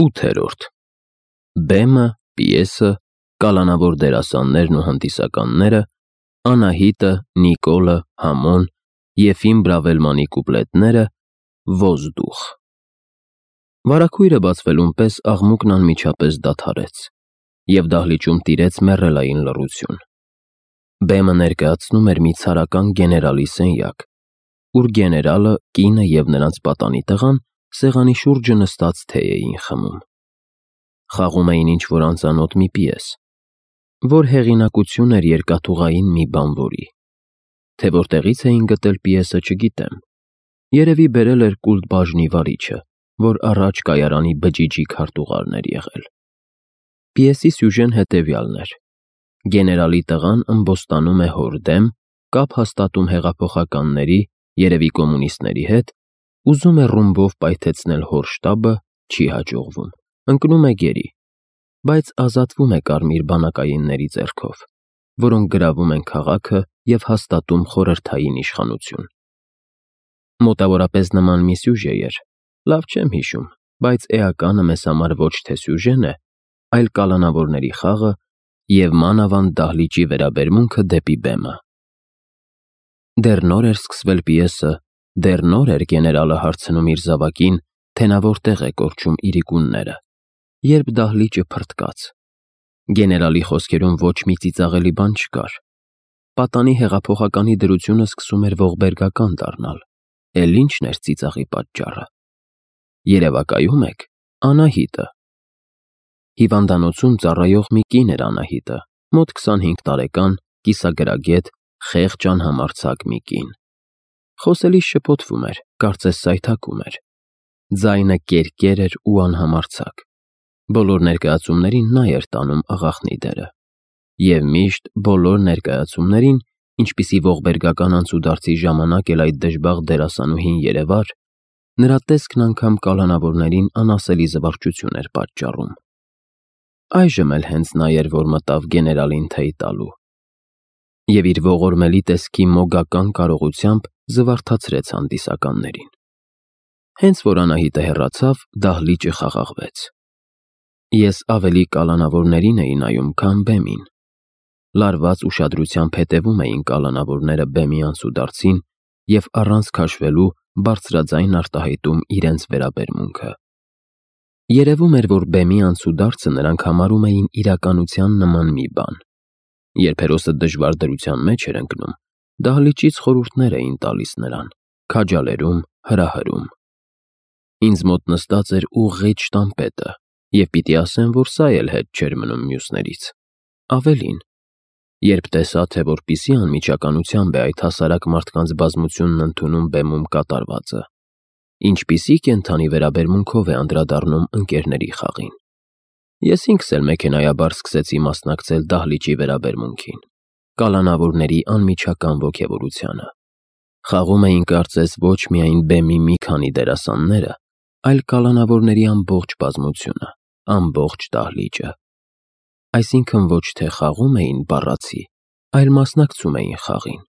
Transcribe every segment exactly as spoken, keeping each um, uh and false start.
ութերորդ Բեմը, պիեսը, կալանավոր դերասաններն ու հանդիսականները, Անահիտը, Նիկոլը, Համոն, Եֆիմ Բրավելմանի կուպլետները, Ոզդուխ։ Վարագույրը բացվելուն պես աղմուկն անմիջապես դադարեց, և դահլիճում տիրեց մեռելային լռություն։ Բեմը ներկայացնում էր մի ցարական գեներալի սենյակ, ուր գեներալը, կինը և նրանց պատանի տղան սեղանի շուրջը նստած թեյ էին խմում։ Խաղում էին ինչ-որ անծանոթ մի պիես, որ հեղինակություն էր երկաթուղային մի բանվորի։ Թե որտեղից էին գտել պիեսը, չգիտեմ, երևի բերել էր կուլտ բաժնի վարիչը, որ առաջ կայարանի բջիջի քարտուղարն էր եղել։ Պիեսի սյուժեն հետևյալն էր. գեներալի տղան ըմբոստանում է հոր դեմ, կապ հաստատում հեղափոխականների, երևի կոմունիստների հետ, ուզում է ռումբով պայթեցնել հոր շտաբը, չի հաջողվում, ընկնում է գերի, բայց ազատվում է կարմիր բանակայինների ձեռքով, որոնք գրավում են քաղաքը և հաստատում խորհրդային իշխանություն։ Մոտավորապես նման մի սյուժե էր, լավ չեմ հիշում, բայց էականը մեզ համար ոչ թե սյուժեն է, այլ կալանավորների խաղը և մանավանդ դահլիճի վերաբերմունքը դեպի բեմը։ Դեռ նոր էր սկսվել պիեսը, դեռ նոր էր գեներալը հարցնում իր զավակին, թե նա որտեղ է կորչում իրիկունները, երբ դահլիճը փռթկաց։ Գեներալի խոսքերում ոչ մի ծիծաղելի բան չկար։ Պատանի հեղափոխականի դրությունը սկսում էր ողբերգական դառնալ, էլ ի՞նչն էր ծիծաղի պատճառը։ Երևակայում եք, Անահիտը։ Հիվանդանոցում ծառայող մի կին էր Անահիտը, մոտ քսանհինգ տարեկան, կիսագրագետ, խեղճ անհամարձակ մի կին։ Խոսելիս շփոթվում էր, կարծես սայթաքում էր։ Ձայնը կերկեր էր ու անհամարձակ։ Բոլոր ներկայացումներին նա էր տանում աղախնի դերը։ Եվ միշտ բոլոր ներկայացումներին, ինչպիսի ողբերգական անցուդարձի ժամանակ էլ այդ դժբախտ դերասանուհին երևար, նրա տեսքն անգամ կալանավորներին անասելի զվարճություն էր պատճառում։ Այժմ էլ հենց նա էր, որ մտավ գեներալին թեյ տալու։ Եվ իր ողորմելի տեսքի մոգական կարողությամբ զվարթացրեց հանդիսականներին։ Հենց որ Անահիտը հեռացավ, դահլիճը խաղաղվեց։ Ես ավելի կալանավորներին էի նայում, քան բեմին։ Լարված ուշադրությամբ հետևում էին կալանավորները բեմի անցուդարձին և առանց քաշվելու բարձրաձայն արտահայտում իրենց վերաբերմունքը։ Երևում էր, որ բեմի անցուդարձը նրանք համարում էին իրականության նման մի բան։ Երբ հերոսը դժվար դրության մեջ էր ընկնում, դահլիճից խորհուրդներ էին տալիս նրան, քաջալերում, հրահրում։ Ինձ մոտ նստած էր ուղղիչ տանպետը, և պիտի ասեմ, որ սա էլ հետ չէր մնում մյուսներից։ Ավելին, երբ տեսա, թե որպիսի անմիջականությամբ է այդ հասարակ մարդկանց բազմությունն ընդունում բեմում կատարվածը, ինչպիսի կենդանի վերաբերմունքով է անդրադառնում ընկերների խաղին։ Ես ինքս էլ մեքենայաբար սկսեցի մասնակցել դահլիճի վերաբերմունքին, կալանավորների անմիջական ոգևորությանը։ Խաղում էին կարծես ոչ միայն բեմի մի քանի դերասանները, այլ կալանավորների ամբողջ բազմությունը, ամբողջ դահլիճը։ Այսինքն ոչ թե խաղում էին բառացի, այլ մասնակցում էին խաղին։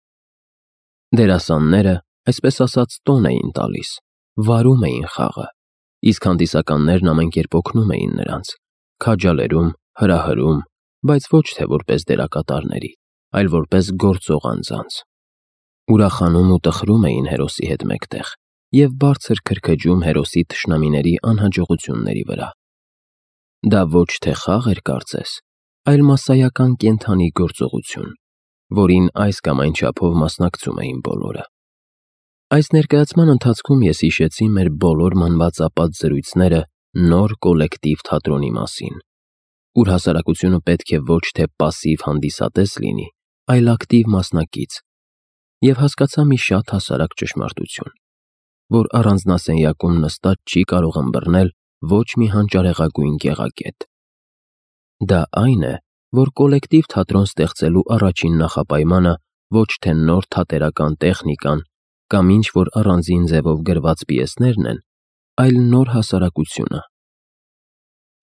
Դերասանները, այսպես ասած, տոն էին տալիս, վարում էին խաղը, իսկ հանդիսականներն ամեն կերպ օգնում էին նրանց, քաջալերում, հրահրում, բայց ոչ թե որպես դերակատարների, այլ որպես գործող անձանց։ Ուրախանում ու տխրում էին հերոսի հետ մեկտեղ և բարձր քրքջում հերոսի թշնամիների անհաջողությունների վրա։ Դա ոչ թե խաղ էր կարծես, այլ մասսայական կենդանի գործողություն, որին այս կամ այն չափով մասնակցում էին բոլորը։ Այս ներկայացման ընթացքում ես հիշեցի մեր բոլոր մանվածապատ զրույցները նոր կոլեկտիվ թատրոնի մասին, ուր հասարակությունը պետք է ոչ թե պասիվ հանդիսատես լինի, այլ ակտիվ մասնակից, և հասկացա մի շատ հասարակ ճշմարտություն, որ առանձնասենյակում նստած չի կարող ըմբռնել ոչ մի հանճարեղագույն գեղագետ։ Դա այն է, որ կոլեկտիվ թատրոն ստեղծելու առաջին նախապայմանը ոչ թե նոր թատերական տեխնիկան կամ ինչ-որ առանձին ձևով գրված պիեսներն են, այլ նոր հասարակությունը։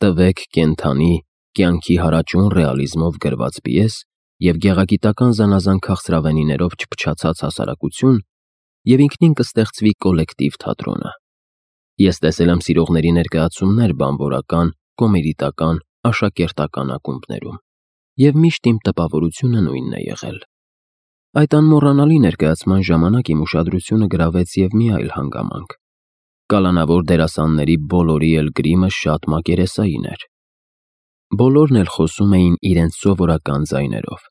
Տվեք կենդանի, կյանքի հարաճուն ռեալիզմով գրված պիես և գեղագիտական զանազան քաղցրավենիներով չփչացած հասարակություն, և ինքնին կստեղծվի կոլեկտիվ թատրոնը։ Ես տեսել եմ սիրողների ներկայացումներ բանվորական, կոմերիտական, աշակերտական ակումբներում, և միշտ իմ տպավորությունը նույնն է եղել։ Այդ անմոռանալի ներկայացման ժամանակ իմ ուշադրությունը գրավեց և մի այլ հանգամանք. կալանավոր դերասանների բոլորի էլ գրիմը շատ մակերեսային էր։ Բոլորն էլ խոսում էին իրենց սովորական ձայներով։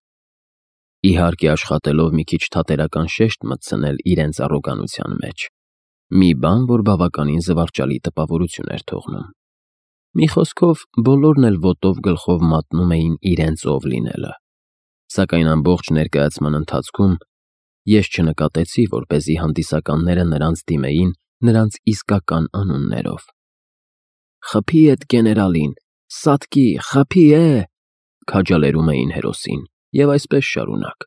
Իհարկե աշխատելով մի քիչ թատերական շեշտ մտցնել իրենց առոգանության մեջ, մի բան, որ բավականին զվարճալի տպավորություն էր թողնում։ Մի խոսքով, բոլորն էլ ոտով գլխով մատնում էին իրենց ով լինելը, սակայն ամբողջ ներկայացման ընթացքում ես չնկատեցի, որպեսզի հանդիսականները նրանց դիմեին նրանց իսկական անուններով։ «Խփի էդ գեներալին, Սատկի, խփի է», քաջալերում էին հերոսին, և այսպես շարունակ։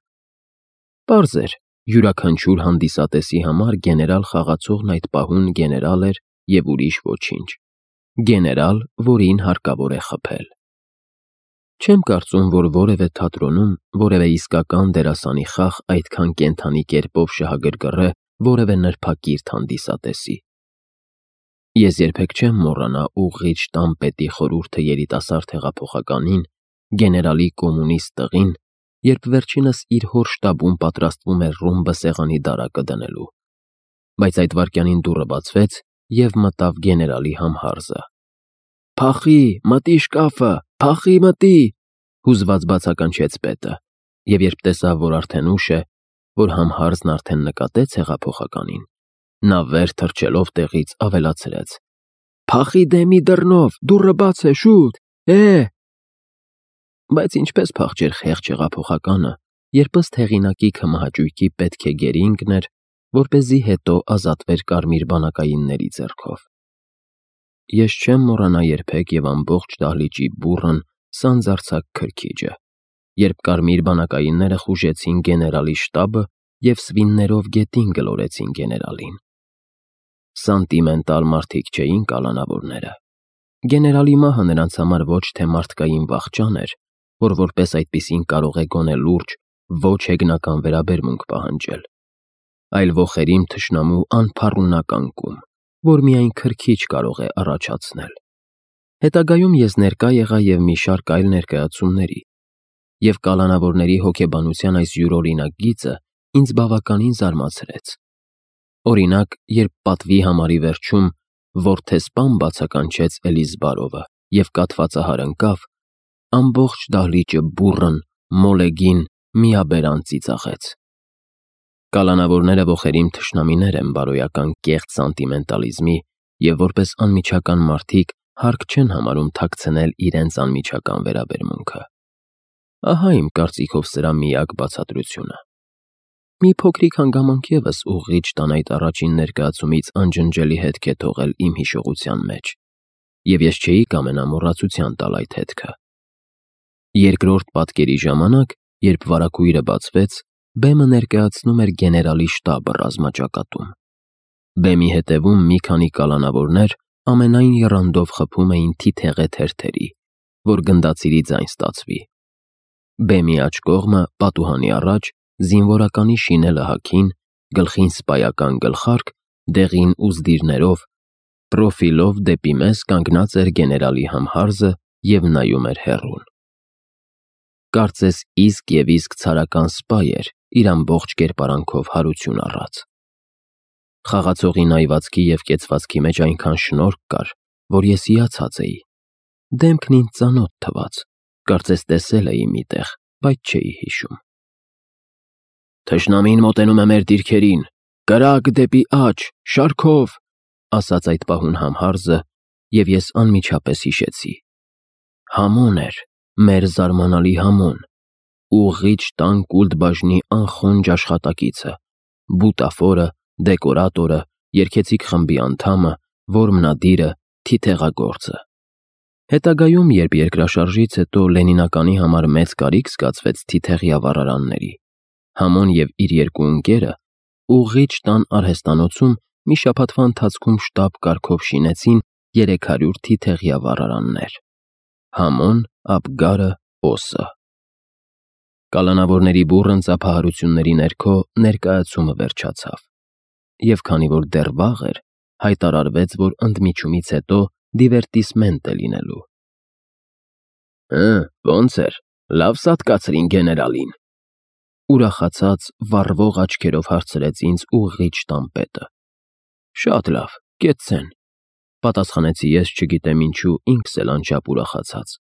Պարզ էր, յուրաքանչյուր հանդիսատեսի համար գեներալ խաղացողն այդ պահուն գեներալ էր և ուրիշ ոչինչ։ Գեներալ, որին հարկավոր է խփել։ Չեմ կարծում, որ որևէ թատրոնում որևէ իսկական դերասանի խաղ այդքան կենդանի կերպով շահագրգռե որևէ նրբակիրթ հանդիսատեսի։ Ես երբեք չեմ մոռանա ուղղիչ տան պետի խորհուրդը երիտասարդ հեղափոխականին, գեներալի կոմունիստ տղին, երբ վերջինս իր հոր շտաբում պատրաստվում էր ռումբը սեղանի դարակը դնելու, բայց այդ վայրկյանին դուռը բացվեց, և մտավ գեներալի համհարզը։ «Փախի, մտի շկաֆը, փախի, մտի», հուզված բացականչեց պետը, և երբ տեսավ, որ արդեն ուշ է, որ համհարզն արդեն նկատեց հեղափոխականին, նա վեր թռչելով տեղից ավելացրեց. «Փախի դեմի դռնով, դուռը բաց է, շուտ, է»։ Բայց ինչպես փախչեր խեղճ հեղափոխականը, երբ ըստ հեղինակի քմահաճույքի պետք է գերի ընկներ, որպեսզի հետո ազատվեր կարմիր բանակայինների ձեռքով։ Ես չեմ մոռանա երբեք և ամբողջ դահլիճի բուռն, սանձարձակ քրքիջը, երբ կարմիր բանակայինները խուժեցին գեներալի շտաբը և սվիններով գետին գլորեցին գեներալին։ Սանտիմենտալ մարդիկ չէին կալանավորները։ Գեներալի մահը նրանց համար ոչ թե մարդկային վախճան էր, որ որպես այդպիսին կարող է գոնե լուրջ, ոչ հեգնական վերաբերմունք պահանջել, այլ ոխերիմ թշնամու անփառունակ անկում, որ միայն քրքիջ կարող է առաջացնել։ Հետագայում ես ներկա եղա և մի շարք այլ ներկայացումների, և կալանավորների հոգեբանության այս յուրօրինակ գիծը ինձ բավականին զարմացրեց։ Օրինակ, երբ պատվի համարի վերջում որդեսպան բացականչեց Էլիզբարովը և կաթվածահար ընկավ, ամբողջ դահլիճը բուռն, մոլեգին, միաբերան ծիծաղեց։ Կալանավորները ոխերիմ թշնամիներ են բարոյական կեղծ սանտիմենտալիզմի և որպես անմիջական մարդիկ հարկ չեն համարում թաքցնել իրենց անմիջական վերաբերմունքը։ Ահա իմ կարծիքով սրա միակ բացատրությունը։ Մի փոքրիկ հանգամանք ևս ուղղիչ տան այդ առաջին ներկայացումից անջնջելի հետք է թողել իմ հիշողության մեջ, և ես չէի կամենա մոռացության տալ այդ հետքը։ Երկրորդ պատկերի ժամանակ, երբ վարագույրը բացվեց, բեմը ներկայացնում էր գեներալի շտաբը ռազմաճակատում։ Բեմի հետևում մի քանի կալանավորներ ամենայն եռանդով խփում էին թիթեղե թերթերի, որ գնդացիրի ձայն ստացվի։ Բեմի աջ կողմը, պատուհանի առաջ, զինվորականի շինելը հագին, գլխին սպայական գլխարկ, դեղին ուզդիրներով, պրոֆիլով դեպի մեզ կանգնած էր գեներալի համհարզը և նայում էր հեռուն։ Կարծես իսկ և իսկ ցարական սպա էր իր ամբողջ կերպարանքով հարություն առած։ Խաղացողի նայվածքի և կեցվածքի մեջ այնքան շնորհք կար, որ ես հիացած էի։ Դեմքն ինձ ծանոթ թվաց, կարծես տեսել էի մի տեղ, բայց չէի հիշում։ «Թշնամին մոտենում է մեր դիրքերին, կրակ դեպի աջ, շարքով», ասաց այդ պահուն համհարզը, և ես անմիջապես հիշեցի։ Համոն էր, մեր զարմանալի Համոն, ուղղիչ տան կուլտ բաժնի անխոնջ աշխատակիցը, բուտաֆորը, դեկորատորը, երգեցիկ խմբի անդամը, որմնադիրը, թիթեղագործը։ Հետագայում, երբ երկրաշարժից հետո Լենինականի համար մեծ կարիք զգացվեց թիթեղյա վառարանների, Համոն և իր երկու ընկերը ուղղիչ տան արհեստանոցում մի շաբաթվա ընթացքում շտապ կարգով շինեցին երեք հարյուր թիթեղյա վառարաններ։ Համոն, Աբգարը, Օսը։ Կալանավորների բուռն ծափահարությունների ներքո ներկայացումը վերջացավ, և քանի որ դեռ վաղ էր, հայտարարվեց, որ ընդմիջումից հետո դիվերտիսմենտ է լինելու։ Հը, ոնց էր, լավ սատկացրին գեներալին։ Ուրախացած, վառվող աչքերով հարցրեց ինձ ուղղիչ տանպետը։ Շատ լավ, կեցցեն, պատասխանեցի ես, չգիտեմ ինչու, ինքս էլ անչափ ուրախացած։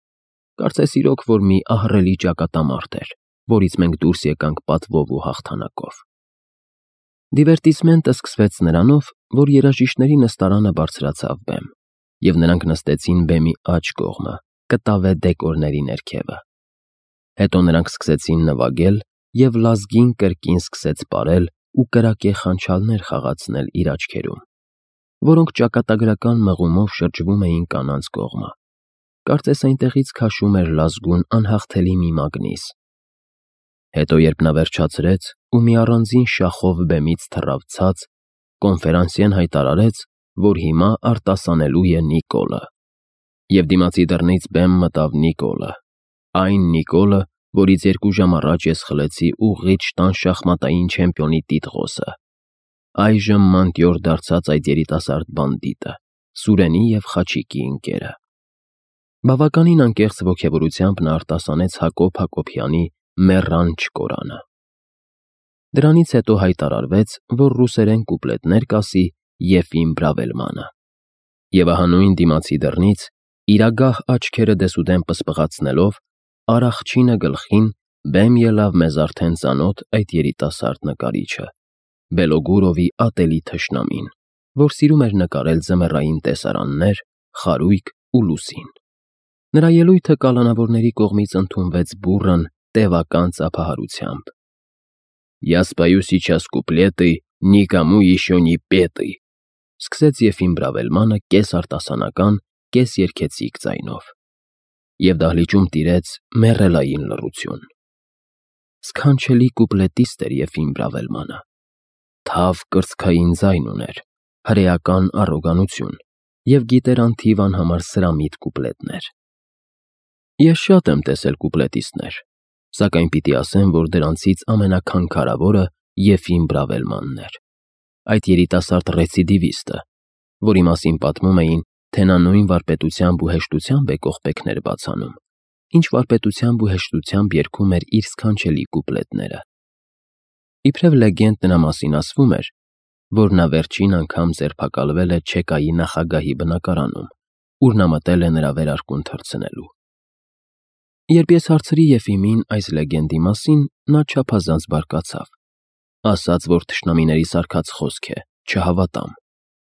Կարծես իրոք, որ մի ահռելի ճակատամարտ էր, որից մենք դուրս եկանք պատվով ու հաղթանակով։ Դիվերտիսմենտը սկսվեց նրանով, որ երաժիշտների նստարանը բարձրացավ բեմ, և նրանք նստեցին բեմի աջ կողմը, կտավե դեկորների ներքևը։ Հետո նրանք սկսեցին նվագել, և լազգին կրկին սկսեց պարել ու կրակե խանչալներ խաղացնել իր աչքերում, որոնք ճակատագրական մղումով շրջվում էին կանանց կողմը։ Կարծես այնտեղից քաշում էր լազգուն անհաղթելի մի մագնիս։ Հետո, երբ նա վերջացրեց ու մի առանձին շախով բեմից թռավ ցած, կոնֆերանսիեն հայտարարեց, որ հիմա արտասանելու է Նիկոլը։ Եվ դիմացի դռնից բեմ մտավ Նիկոլը, այն Նիկոլը, որից երկու ժամ առաջ ես խլեցի ուղղիչ տան շախմատային չեմպիոնի տիտղոսը, այժմ մանտյոր դարձած այդ երիտասարդ բանդիտը, Սուրենի և Խաչիկի ընկերը։ Բավականին անկեղծ ոգևորությամբ նա արտասանեց Հակոբ Հակոբյանի «Մեռան չկորանը»։ Դրանից հետո հայտարարվեց, որ ռուսերեն կուպլետներ կասի Եֆիմ Բրավելմանը։ Եվ ահա նույն դիմացի դռնից, իր ագահ աչքերը դեսուդեն պսպղացնելով, առախչինը գլխին բեմ ելավ մեզ արդեն ծանոթ այդ երիտասարդ նկարիչը, Բելոգուրովի ատելի թշնամին, որ սիրում էր նկարել ձմեռային տեսարաններ, խարույկ ու լուսին։ Նրա ելույթը կալանավորների կողմից ընդունվեց բուռն, տևական ծափահարությամբ։ «Я спою сейчас куплеты, никому еще не петы», սկսեց Եֆիմ Բրավելմանը կես արտասանական, կես երգեցիկ ձայնով։ Եվ դահլիճում տիրեց մեռելային լռություն։ Սքանչելի կուպլետիստ էր Եֆիմ Բրավելմանը։ Թավ կրծքային ձայն ուներ, հրեական առոգանություն և գիտեր անթիվ անհամար սրամիտ կուպլետներ։ Ես շատ եմ տեսել կուպլետիստներ, սակայն պիտի ասեմ, որ դրանցից ամենաքանքարավորը Եֆիմ Բրավելմանն էր, այդ երիտասարդ ռեցիդիվիստը, որի մասին պատմում էին, թե նա նույն վարպետությամբ ու հեշտությամբ է կողպեքներ բացանում, ինչ վարպետությամբ ու հեշտությամբ երգում էր իր սքանչելի կուպլետները։ Իբրև լեգենդ նրա մասին ասվում էր, որ նա վերջին անգամ ձերբակալվել է Չեկայի նախագահի բնակարանում, ուր նա մտել է նրա վերարկուն թռցնելու։ Երբ ես հարցրի Եֆիմին այս լեգենդի մասին, նա չափազանց բարկացավ, ասաց, որ թշնամիների սարքած խոսք է, չհավատամ,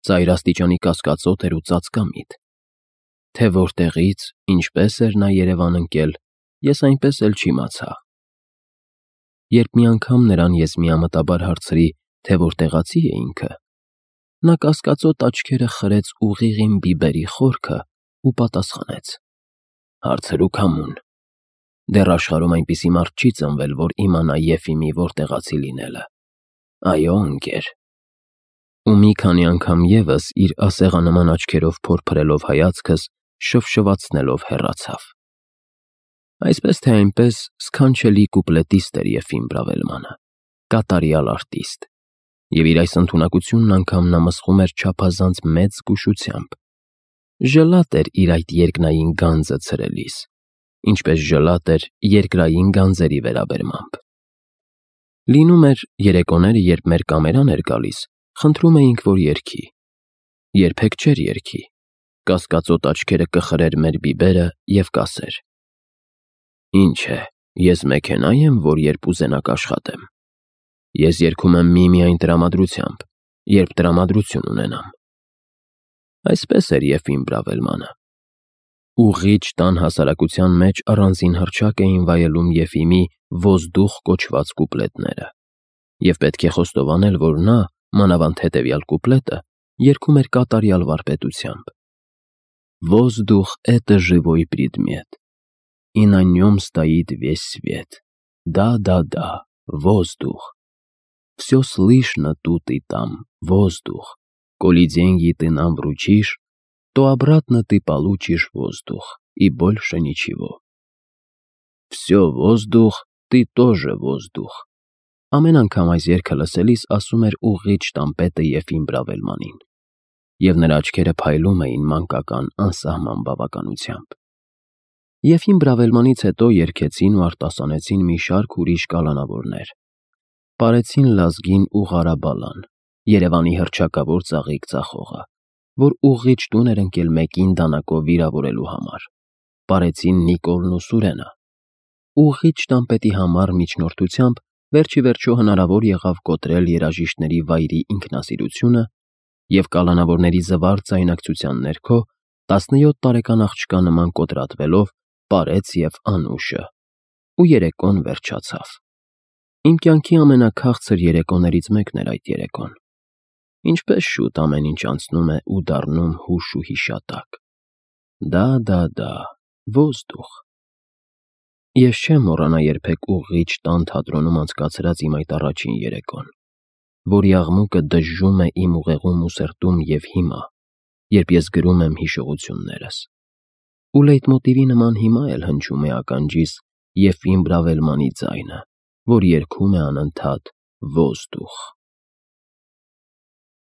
ծայր աստիճանի կասկածոտ էր ու ծածկամիտ։ Թե որտեղից, ինչպես էր նա Երևան ընկել, ես այնպես էլ չիմացա։ Երբ մի անգամ նրան ես միամտաբար հարցրի, թե որտեղացի է ինքը, նա կասկածոտ աչքերը խրեց ուղիղին բիբերի խորքը ու պատասխանեց. «Հարցրու քամուն։ Դեռ աշխարհում այնպիսի մարդ չի ծնվել, որ իմանա Եֆիմի որտեղացի լինելը։ Այո, ընկեր»։ Ու մի քանի անգամ ևս իր ասեղանման աչքերով փորփրելով հայացքս, շվշվացնելով հեռացավ։ Այսպես թե այնպես սքանչելի կուպլետիստ էր Եֆիմ Բրավելմանը, կատարյալ արտիստ, և իր այս ընդունակությունն անգամ նա մսխում էր չափազանց մեծ զգուշությամբ։ Ժլատ էր իր այդ երկնային գանձը ցրելիս, ինչպես ժլատ էր երկրային գանձերի վերաբերմամբ։ Լինում էր, երեկոները, երբ մեր կամերան էր գալիս, խնդրում էինք, որ երգի։ Երբեք չէր երգի, կասկածոտ աչքերը կխրեր մեր բիբերը և կասեր. «Ինչ է, ես մեքենա եմ, որ երբ ուզենաք աշխատեմ։ Ես երգում եմ միմիայն տրամադրությամբ, երբ տրամադրություն ունենամ»։ Այսպես էր Եֆիմ Բրավելմանը։ Ուղղիչ տան հասարակության մեջ առանձին հռչակ էին վայելում Եֆիմի «Ոզդուխ» կոչված կուպլետները, և պետք է խոստովանել, որ նա, մանավանդ հետևյալ կուպլետը, երգում էր կատարյալ վարպետությամբ. «Воздух — это живой предмет, и на нем стоит весь свет. Да-да-да, воздух. Все слышно тут и там, воздух. Коли деньги ты нам вручишь, то обратно ты получишь воздух, и больше ничего. Все воздух, ты тоже воздух». Ամեն անգամ այս երգը լսելիս ասում էր ուղղիչ տանպետը Եֆիմ Բրավելմանին։ և նրա աչքերը փայլում էին մանկական անսահման բավականությամբ։ Եփին Բրավելմանից հետո երգեցին ու արտասանեցին մի շարք ուրիշ կալանավորներ։ Պարեցին Լազգին ու Ղարաբալան, Երևանի հռչակավոր ծաղիկ ծախողը, որ ուղղիչ տուն էր ընկել մեկին դանակով վիրավորելու համար։ Պարեցին Նիկոլն ու Սուրենը։ Ուղղիչ տանպետի համար միջնորդությամբ վերջ ի վերջո հնարավոր եղավ կոտրել երաժիշտների վայրի ինքնասիրությունը և կալանավորների զվարթ ձայնակցության ներքո տասնյոթ տարեկան աղջկա նման կոտրատվելով պարեց և անուշը, ու երեկոն վերջացավ։ Իմ կյանքի ամենաքաղցր երեկոներից մեկն էր այդ երեկոն։ Ինչպես շուտ ամեն ինչ անցնում է ու դառնում հուշ ու հիշատակ։ Դա-դա-դա, ոզդուխ։ Ես չեմ մոռանա երբեք ուղղիչ տան թատրոնում անցկացրած իմ այդ առաջին երեկոն, որի աղմուկը դժժում է իմ ուղեղում ու սրտում և հիմա, երբ ես գրում եմ հիշողություններս։ Ու լեյտմոտիվի նման հիմա էլ հնչում է ականջիս Եփիմ Բրավելմանի ձայնը, որ երգում է անընդհատ «Ոզդուխ»։